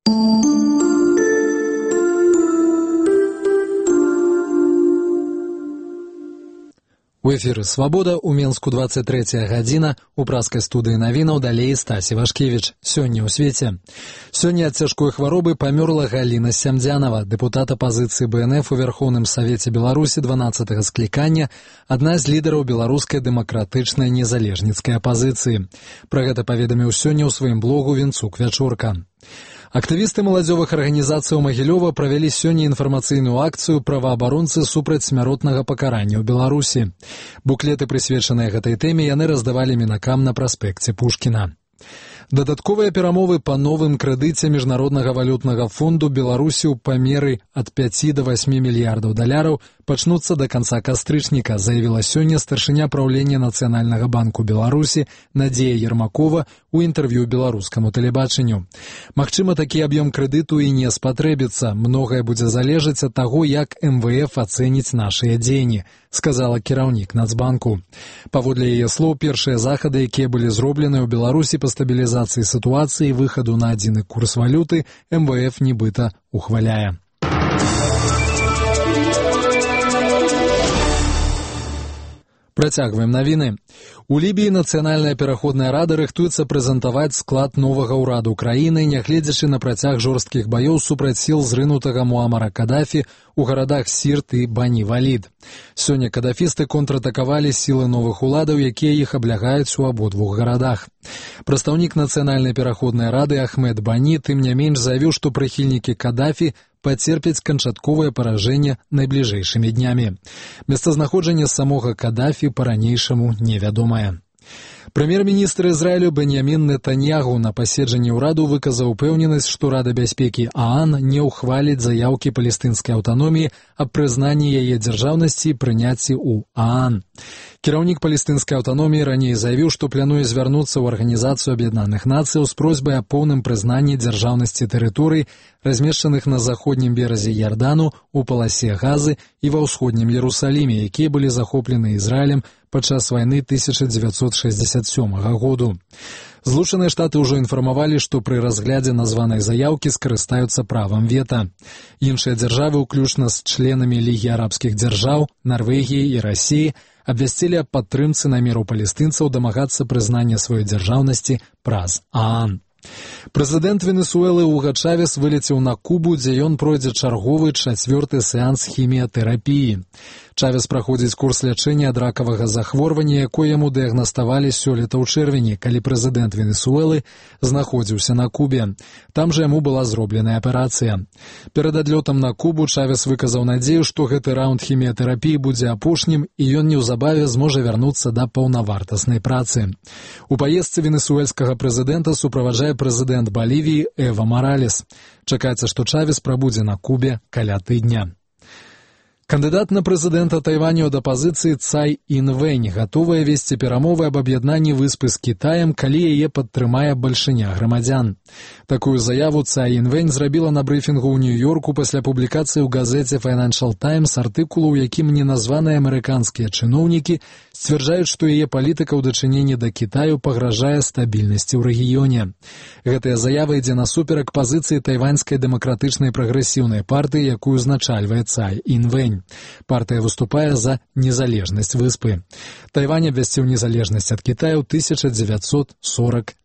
У эфіры «Свабода», у Менску 23 гадзіна, у праскай студыі навінаў далей Стасі Вашкевіч. Сёння ў свеце. Сёння ад цяжкой хваробы памёрла Галіна Сямдзянова, дэпутат апазіцыі БНФ у Верхоўным Савеце Беларусі 12-га склікання, адна з лідараў беларускай дэмакратычнай незалежніцкай апазіцыі. Пра гэта паведаміў сёння ў сваім блогу Вінцук Вячорка. Актывісты маладзёвых арганізацый Магілёва правялі сёння інфармацыйную акцыю праваабаронцы супраць смяротнага пакарання ў Беларусі. Буклеты, прысвечаныя гэтай тэме, яны раздавалі мінакам на праспекце Пушкіна. Дадатковыя перамовы па новым крэдыце Міжнароднага валютнага фонду Беларусі ў памеры ад 5 до 8 мільярдаў даляраў пачнуцца да канца кастрычніка, заявіла сёння старшыня праўлення Нацыянальнага банку Беларусі Надзея Ермакова у інтэрв'ю беларускаму тэлебачанню. Магчыма, такі аб'ём крэдыту і не спатрэбіцца. Многае будзе залежаць ад таго, як МВФ ацэніць нашыя дзеянні, сказала кіраўнік Нацбанку. Паводле яе слоў, першыя захады, якія былі зроблены ў Беларусі па стабілізацыі сітуацыі і выхаду на адзіны курс валюты, МВФ нібыта ухваляе. Працягваем навіны. У Лібіі Нацыянальная пераходная рада рыхтуецца прэзентаваць склад новага ўраду краіны, нягледзячы на працяг жорсткіх баёў супраць сіл зрынутага Муамара Кадафі у гарадах Сірт і Бані-Валід. Сёння кадафісты контратакавалі сілы новых уладаў, якія іх аблягаюць у абодвух гарадах. Прадстаўнік Нацыянальнай пераходнай рады Ахмед Бані тым не менш заявіў, што прыхільнікі Кадафі пацерпяць канчатковае паражэнне найбліжэйшымі днямі. Месцазнаходжанне самога Кадафі па-ранейшаму невядомае. Прэм'ер-міністр Ізраілю Беньямін Нетаньягу на паседжанні ўраду выказаў упэўненасць, што Рада бяспекі ААН не ўхваліць заяўкі палестынскай аўтаноміі аб прызнанні яе дзяржаўнасці і прыняцці ў ААН. Кіраўнік палестынскай аўтаноміі раней заявіў, што плануе звярнуцца ў Арганізацыю Аб'яднаных Нацыяў з просьбай аб поўным прызнанні дзяржаўнасці тэрыторый, размешчаных на заходнім беразе Ярдану, у паласе Газы і ва ўсходнім Ерусаліме, якія былі захоплены Ізраілем падчас вайны 1967 году. Злучаныя Штаты ўжо інфармавалі, што пры разглядзе названай заяўкі скарыстаюцца правам вета. Іншыя дзяржавы, уключна з членамі Лігі арабскіх дзяржаў, Нарвегіі і Расіі, абвясцілі аб падтрымцы намеру палестынцаў дамагацца прызнання сваёй дзяржаўнасці праз ААН. Прэзідэнт Венесуэлы Уга Чавес вылецеў на Кубу, дзе ён пройдзе чарговы 4-ы сеанс хіміятэрапіі. Чавес праходзіць курс лячэння ад ракавага захворвання, якое яму дыягнаставалі сёлета ў чэрвені, калі прэзідэнт Венесуэлы знаходзіўся на Кубе. Там жа яму была зробленая аперацыя. Перад адлётам на Кубу Чавес выказаў надзею, што гэты раунд хіміятэрапіі будзе апошнім, і ён неўзабаве зможа вярнуцца да паўнавартаснай працы. У паездцы венесуэльскага прэзідэнта суправаджае прэзідэнт Балівіі Эва Маралес. Чакаецца, што Чавес прабудзе на Кубе каля тыдня. Кандыдат на прэзідэнта Тайваню ад апазіцыі Цай Інвэнь гатовая весці перамовы аб аб'яднанні выспы з Кітаем, калі яе падтрымае бальшыня грамадзян. Такую заяву Цай Інвэнь зрабіла на брыфінгу ў Нью-Йорку пасля публікацыі ў газеце Financial Times артыкулу, у якім неназваныя амерыканскія чыноўнікі сцвярджаюць, што яе палітыка ў дачыненні да Кітаю пагражае стабільнасці ў рэгіёне. Гэтая заява ідзе насуперак пазіцыі тайваньскай дэмакратычнай прагрэсіўнай партыі, якую узначальвае Цай Інвэнь. Партыя выступае за незалежнасць выспы. Тайвань абвясціў незалежнасць ад Кітаю ў 1949